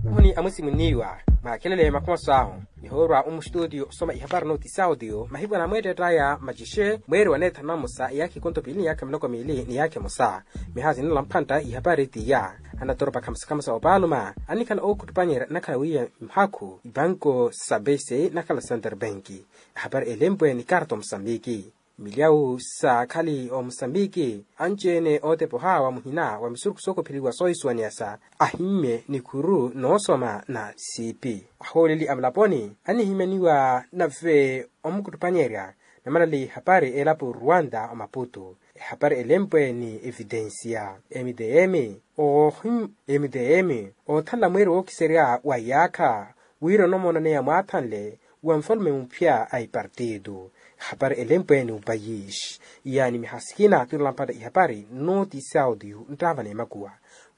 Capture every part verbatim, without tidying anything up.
Muni amusimuniwa, mwakhelele makhomaso ahu. Nihoorwa omu studio osoma ihapari nooti saudio mahiku anamweetteettaya macixe mweeri wa neethanu namosa iyaakha ikonto piili ni iyaakha miloko miili ni iyaakha emosa. Mihaasi ninala mphantta ihapari tiya. Anatoropa khamosa khamosa opaaluma annikhala ookhuttupanyerya nnakhala wiiya mhakhu ipanko sa bese nnakhala centre bank. Ehapari elempwe ni karto musambiki. Milyawu saakhali omusambiki anci-ene ootepa ohaawa muhina wa misurukhu sookopheliwa soohisuwaniyasa ahimmye nikhuru noosoma na siipi. Ahooleli a mulaponi annihimyaniwa nave omukuttuphanyerya namanali hapari elapo ruwanda omaputu. Ehapari elempwe ni evitensiya emiteemi oohim emiteemi oothanla mweeri wookiserya wa iyaakha wira onomonaneya mwaathanle wa nfalume muphya a ipartitu. Ehapari elempwe ni upayisi yaani mihasikina tuunalamphata ihapari nooti saudio nttaavana emakuwa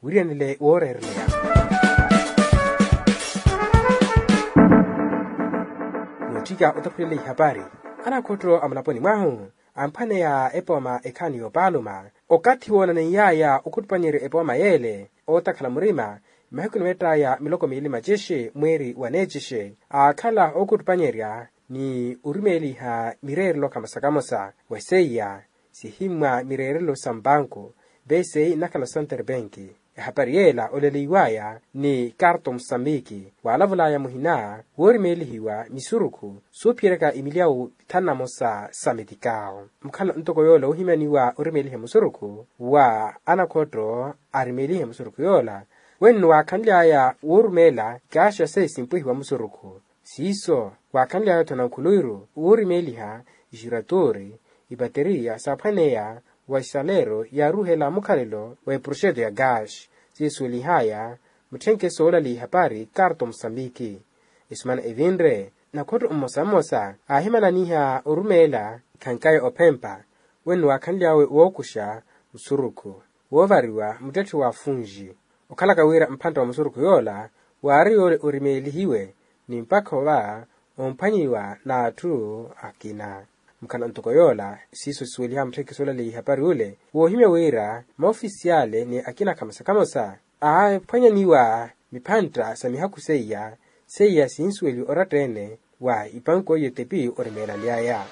wiriyanile wooreereleya. Nootthika otaphulela ihapari anakhotto a mulaponi mwahu amphwaneya epooma ekhaani yoopaaluma okathi woonaneiyaya okhuttupanyerya epooma yeele ootakhala murima mahiku niweettaya miloko miili macixi mweeri wa neecixi aakhala ookhuttupanyerya ni orimeeliha mireerelo khamosa khamosa wa seiya sihimmwa mireerelo sa mpanku. Beesei nnakhala centre bank ehapari yeela oleleiwaya ni karto musambiki waalavolaya muhina woorimeelihiwa misurukhu soophiyeryaka imilyawu thanu namosa sa metikaawo. Mukhala ntoko yoola woohimyaniwa orimeeliha musurukhu wa anakhotto arimeelihe musurukhu yoola wenno waakhanly'aya woorumeela kaaxa seiya simpwehiwa musurukhu. Siiso waakhanly'aya-tho nankhuluwiru woorimeeliha ixiratoori ipateriya saaphwaneya wa ixaleero yaaruuhela mukhalelo wa eproxeto ya gaaxi siisuwelih'aya mutthenke soolali ihapari karto musambiki. Esumana evinre nakhotto mmosa mmosa aahimananiha orumeela ikhankaya ophempa wenno waakhanly'awe wookuxa musurukhu woovariwa muttetthe wa funxi okhalaka wira mphantta wa musurukhu yoola waari yoole orimeelihiwe ni mpakha ova omphwanyiwa n'atthu akina. Mukhala ntoko yoola siiso sisuweliha mutthekiso olaleya ihapari ule woohimya wira maofisiyale ni akina khamosa khamosa aaphwanyaniwa miphantta sa mihakhu seiya seiya sinsuweliwa oratta-ene wa ipanku eyo etepi orimeelaly'aya.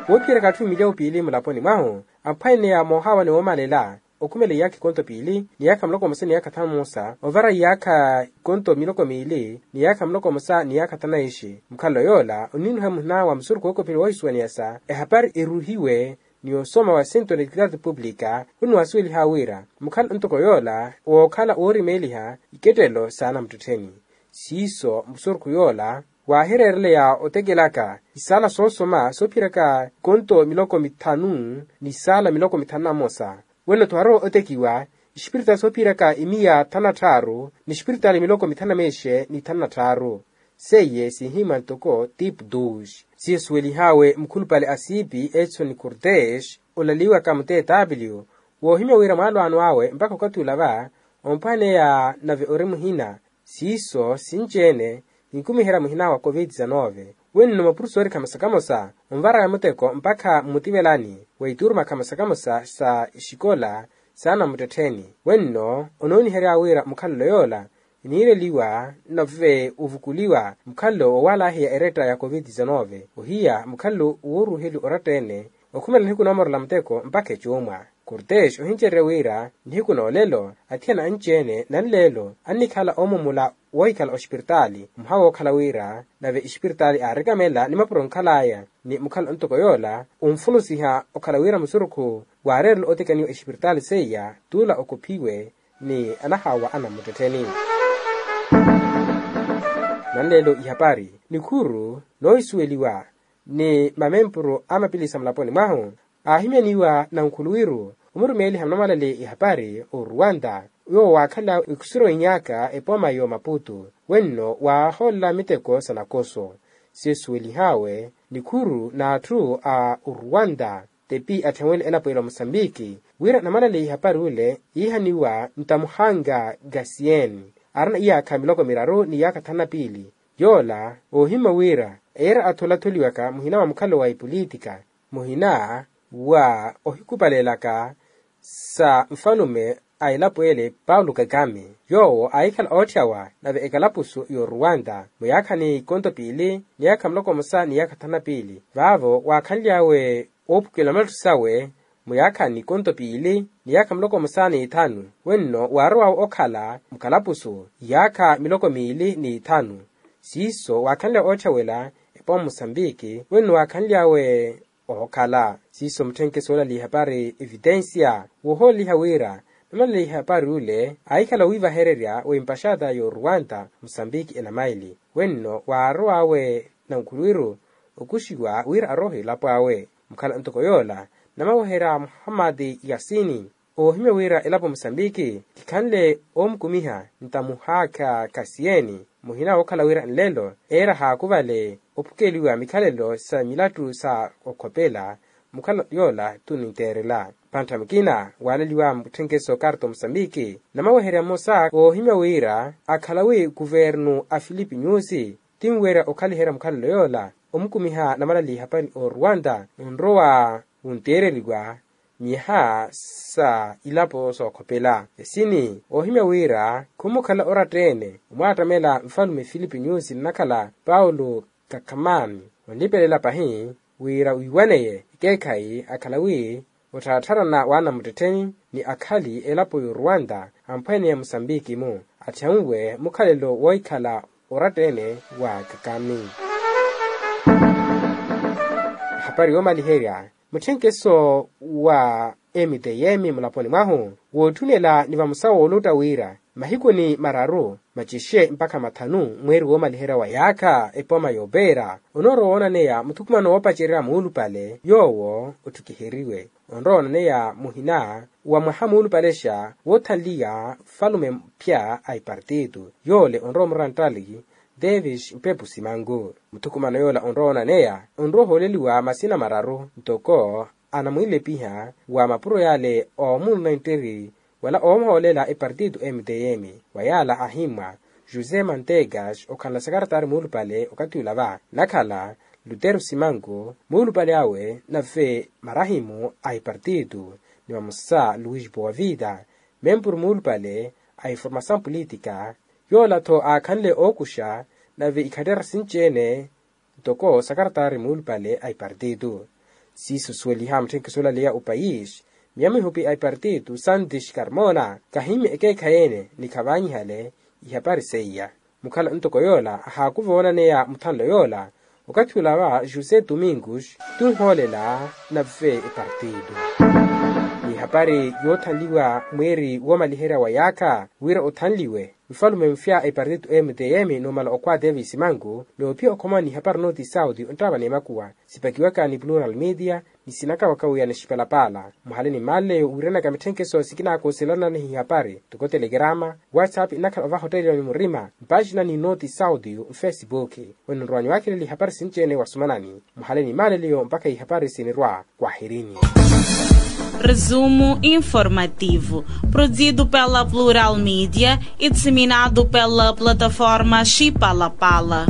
Woophiyeryaka atthu milyawu piili mulaponi mwahu amphwaneya moohaawa ni woomalela okhumela iyaakha ikonto piili ni iyaakha muloko mmosa ni iyaakha thanu mmosa ovara iyaakha ikonto miloko miili ni iyaakha muloko mmosa ni iyaakha thanu na ixi mukhalelo yoola oninuha muhina wa musurukhu wookopheliwa woohisuwaniyasa ehapari eruuhiwe ni osoma wa centro de equidade pública khunniwasuweliha wira mukhala ntoko yoola wookhala woorimeeliha ikettelo s'anamuttettheni. Siiso musurukhu yoola waahireereleya otekelaka isaala soosoma soophiyeryaka ikonto miloko mithanu ni isaala miloko mithanu na mmosa wenno-tho waarowa otekiwa ispiritaali soophiyeryaka imiya thanu na tthaaru ni ispiritaali miloko mithanu na meexe ni thanu na tthaaru. Seiye siihimmwa ntoko tipu duxi siiso suwelih'awe mukhulupale a siipi edson cortes olaliwaka mu tw woohimya wira mwaalwaano awe mpakha okathi ula va omphwaneya nave ori muhina siiso sinci-ene kinkumiherya muhina wa covid dix-nove. Wenno mapurusoori khamosa khamosa onvaraya muteko mpakha mmutivelani wa ituuruma khamosa khamosa sa ixikola s'anamuttettheni wenno onooniherya wira mukhalelo yoola eniireliwa nave ovukuliwa mukhalelo wowalahiya eretta ya covid dix-nove ohiya mukhalelo wooruuheliwa oratta-ene okhumela nihiku noomorela muteko mpakha ecuumwa. Cortes ohincererya wira nihiku n'olelo athiyana anci-ene nanleelo annikhala oomumula woohikhala ospiritaali mwaha wookhala wira nave ispiritaali aarikamelela ni mapuro onkhal'aya ni mukhala ntoko yoola onfulusiha okhala wira musurukhu waareerela otekaniwa ispiritaali seiya t'ula okophiwe ni anahaawa anamuttettheni. Nanleelo ihapari nikhuru noohisuweliwa ni mamempuru a mapilisa mulaponi mwahu aahimyaniwa nankhuluwiru omurumeeliha munamalale ihapari oruwanta yoowo waakhala ekhusirowa inyaaka epooma y'omaputu wenno waahoolela miteko sa nakoso. Seesuwelih'awe nikhuru n'atthu a oruwanta tepi atthewele elapo ela omusambiki wira namalale ihapari ule yiihaniwa ntamuhanga gasiyeni arina iyaakha miloko miraru ni iyaakha thanu na piili. Yoola oohimma wira eera athola atholiwaka muhina wa mukhalelo wa ipolitika muhina wa ohikupalelaka sa nfalume a elapo ele paulo kakame, yoowo aahikhala ootthawa nave ekalapusu y'oruwanta muyaakha ni konto piili ni yaakha muloko musa ni yaakha thanu na piili vaavo waakhanly'awe oophukela malattu sawe muyaakha ni konto piili ni yaakha muloko musa ni ithanu. Wenno waarowawe okhala mukalapusu yaakha miloko miili ni ithanu. Siiso waakhanly'awe ootthawela epooma musambiki wenno waakhanly'awe ookhala siiso mutthenke soolaliha epari evitensia woohoolaliha wira namalaliha epari ule aahikhala owiivahererya wa empaxata y'oruwanta musambiki enamaili. Wenno waarow'awe nankhuluwiru okuxiwa wira arohe elapo awe mukhala ntoko yoola namaweherya muhammadi yasini oohimya wira elapo musambiki kikhanle oomukumiha ntamuhaakha khasiyeni muhina wookhala wira nlelo eera haakuvale ophukeliwa mikhalelo sa milattu sa okhopela mukhala yoola tuninteerela. Panttha mukina waaleliwa mutthenkeso karto musambiki namaweherya mmosa oohimya wira akhala wi kuvernu a filipi nyusi tinwerya okhaliherya mukhalelo yoola omukumiha namalaliha pani oruwanta onrowa wunteereriwa miha sa ilapo sookhopela esini oohimya wira khumukhala oratta-ene omwaattamela nfalume filipi nyusi nnakhala paulo kakhamani onlipelela pahi wira wiiwaneye ekeekhayi akhala wi ottharatharana waana muttettheni ni akhali elapo y'oruwanta amphweneya musambiki-mu atthyanwe mukhalelo woohikhala oratta-ene wa kakami. Ehapari yoomaliherya mutthenkeso wa mtm mulaponi mwahu wootthunela ni vamosa woolutta wira mahikuni mararu macixe mpakha mathanu mweeri woomaliherya wa yaakha epooma yoopeera onoorowa woonaneya muthukumano woopacerya muulupale yoowo otthukiheriwe onrowa woonaneya muhina wa mwaha muulupalexa woothanliya falume mphya a ipartito yoole onrowa omurantali davis mpepu simanku. Muthukumano yoola onrowa woonaneya onrowa ohooleliwa masina mararu ntoko anamwiilepiha wa mapuro yaale oomuna enttiri wala oomuhoolela epartito mtm wa yaala ahimmwa josé mantegas okhanla sakaratari muulupale okathi ula va nnakhala lutero simanku muulupale awe nave marahimu a ipartito ni vamosa luis boavida mempuru muulupale a informasaw politika yoola-tho aakhanle ookuxa nave ikhattera sinci-ene ntoko sakaratari muulupale a ipartito. Siiso suweliha mutthenke soolaleya opayisi miya mihupi a ipartito santis carmona kahimmye ekeekhayi-ene ni khavannyihale ihapari seiya mukhala ntoko yoola ahaakuva woonaneya muthanlo yoola okathi ula va josé domingos tunhoolela nave epartito. Ni ihapari yoothanliwa mweeri woomaliherya wa yaakha wira othanliwe nfalume mufya a ipartito mtm numala okhwa davis manku noophiya okhomani ihapari nooti saudi onttaava n'emakuwa sipakiwaka ni plural media ni sinakawaka wiya nixipalapaala muhale ni mmaaleyo wiiranaka mitthenkeso sikinaakoselanani ihapari ntoko telekerama whatsapp nnakhala ovaha otteeliwa ni murima mpaaxina ni nooti saudi nfesipuki. Onrowa niwaakheleli ihapari sinci-ene wasumanani muhale ni mmaaleyo mpakha ihapari sinirwa kwahirini. Resumo informativo produzido pela plural media e disseminado pela plataforma xipalapala.